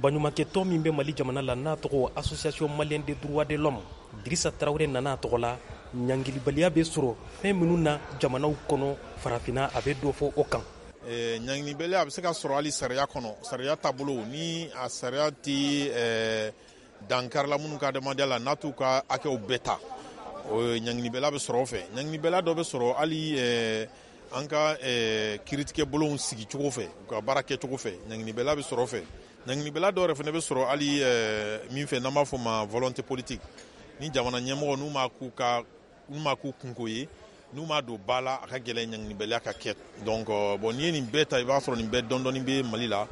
Baɲumankɛtɔn min bɛ Mali jamana la, n'a tɔgɔ Association malienne des droits de l'homme, Dirisa Tarawele nana a tɔgɔ la. Ɲangilibaliya bɛ sɔrɔ fɛn minnu na jamanaw kɔnɔ farafinna, a bɛ dɔ fɔ o kan. Ɲangilibaliya a bɛ se ka sɔrɔ hali sariya kɔnɔ, sariya taabolo ni a sariya tɛ dankarila minnu ka adamadenya la, n'a t'u ka hakɛw bɛɛ ta, ɲangilibaliya bɛ sɔrɔ o fɛ. Ɲangilibaliya dɔ bɛ sɔrɔ hali an ka kiiritigɛ bolonw sigicogo fɛ, u ka baara kɛcogo fɛ, ɲangilibaliya bɛ sɔrɔ o fɛ. Ɲangilibaliya dɔw yɛrɛ fana bɛ sɔrɔ hali min fɛ n'an b'a fɔ ma volonté politique, ni jamana ɲɛmɔgɔ n'u ma k'u ka n'u ma k'u kunko ye, n'u m'a don ba la, a ka gɛlɛn ɲangilibaliya ka kɛ. Donc bon, n'i ye nin bɛɛ ta, i b'a sɔrɔ nin bɛɛ dɔɔni bɛ Mali la.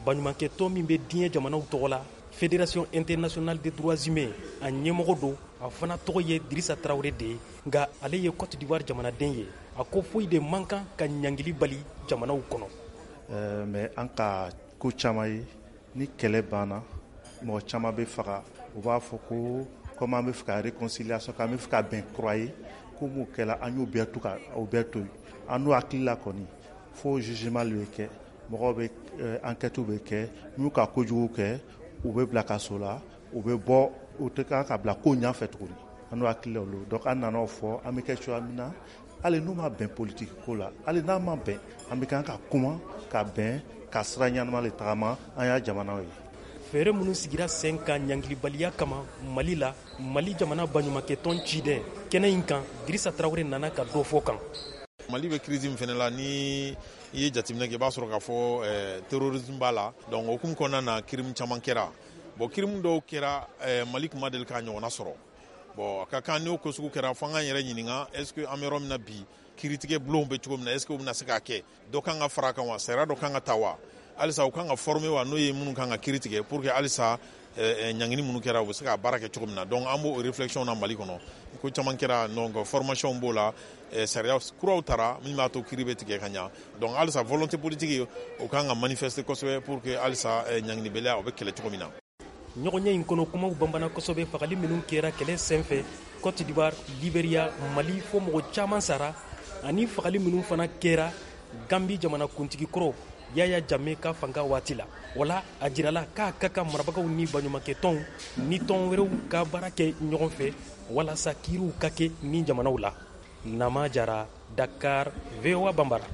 Baɲumankɛtɔn min bɛ diɲɛ jamanaw tɔgɔ la, Fédération internationale des droits humains, a ɲɛmɔgɔ don, a fana tɔgɔ ye Dirisa Tarawele de ye, nka ale ye Côte d'Ivoire jamanaden ye. A ko foyi de man kan ka ɲangili bali jamanaw kɔnɔ. Mais an ka ko caman ye, ni kɛlɛ banna, mɔgɔ caman bɛ faga. U b'a fɔ ko comme an bɛ fɛ ka réconciliation, k'an bɛ fɛ ka bɛn kura ye, ko m'o kɛla, an y'o bɛɛ to ka o bɛɛ to yen. An n'o hakili la kɔni, fo jugement le bɛ kɛ, mɔgɔw bɛ enquête bɛ kɛ, n'u ka kojugu kɛ, u bɛ bila kaso la, u bɛ bɔ, u tɛ kan ka bila ko ɲɛfɛ tuguni. An n'o hakili la olu. Donc an nana o fɔ, an bɛ kɛ cogoya min na, hali n'u ma bɛn politique ko la, hali n'a ma bɛn, an bɛ kan ka kuma ka bɛn ka sira ɲɛnama le tagama an y'a jamanaw ye. Fɛɛrɛ minnu sigira sen kan ɲangilibaliya kama Mali la, Mali jamana baɲumankɛtɔn ciden kɛnɛ in kan, Dirisa Tarawele nana ka dɔ fɔ kan. Mali bɛ crise min fana la, ni i ye jateminɛ kɛ, i b'a sɔrɔ k'a fɔ terrorisme b'a la. Donc o hukumu kɔnɔna na, crime caman kɛra. Bon, crime dɔw kɛra, Mali tun ma deli k'a ɲɔgɔnna sɔrɔ. Bon, a ka kan n'o ko sugu kɛra, fo an k'an yɛrɛ ɲininka: est ce que an bɛ yɔrɔ min na bi, kiiritigɛ bulonw bɛ cogo min na, est ce que u bɛna se k'a kɛ? Dɔ kan ka fara a kan wa? Sariya dɔ kan ka ta wa? Halisa u kan ka former wa, n'o ye minnu kan ka kiiri tigɛ, pour que halisa ɲangini minnu kɛra, u bɛ se ka baara kɛ cogo min na? Donc an b'o réflexion na Mali kɔnɔ. Ko caman kɛra, donc formation b'o la, sariya kuraw tara min b'a to kiiri bɛ tigɛ ka ɲa. Donc halisa volonté politique, o kan ka manifester kosɛbɛ pour que halisa ɲanginibaliya, o bɛ kɛlɛ cogo min na. Ɲɔgɔnye in kɔnɔ, kumaw banbana kosɛbɛ fagali minnu kɛra kɛlɛ senfɛ Côte d'Ivoire, Liberia, Mali, fo mɔgɔ caman sara, ani fagali minnu fana kɛra Gambi jamana kuntigi kɔrɔ Yaya Jame ka fanga waati la. Wala a jirala k'a ka kan marabagaw ni baɲumankɛtɔnw ni tɔn wɛrɛw ka baara kɛ ɲɔgɔn fɛ walasa kiiriw ka kɛ ni jamanaw la. Nama Jara, Dakar, VOA Bambara.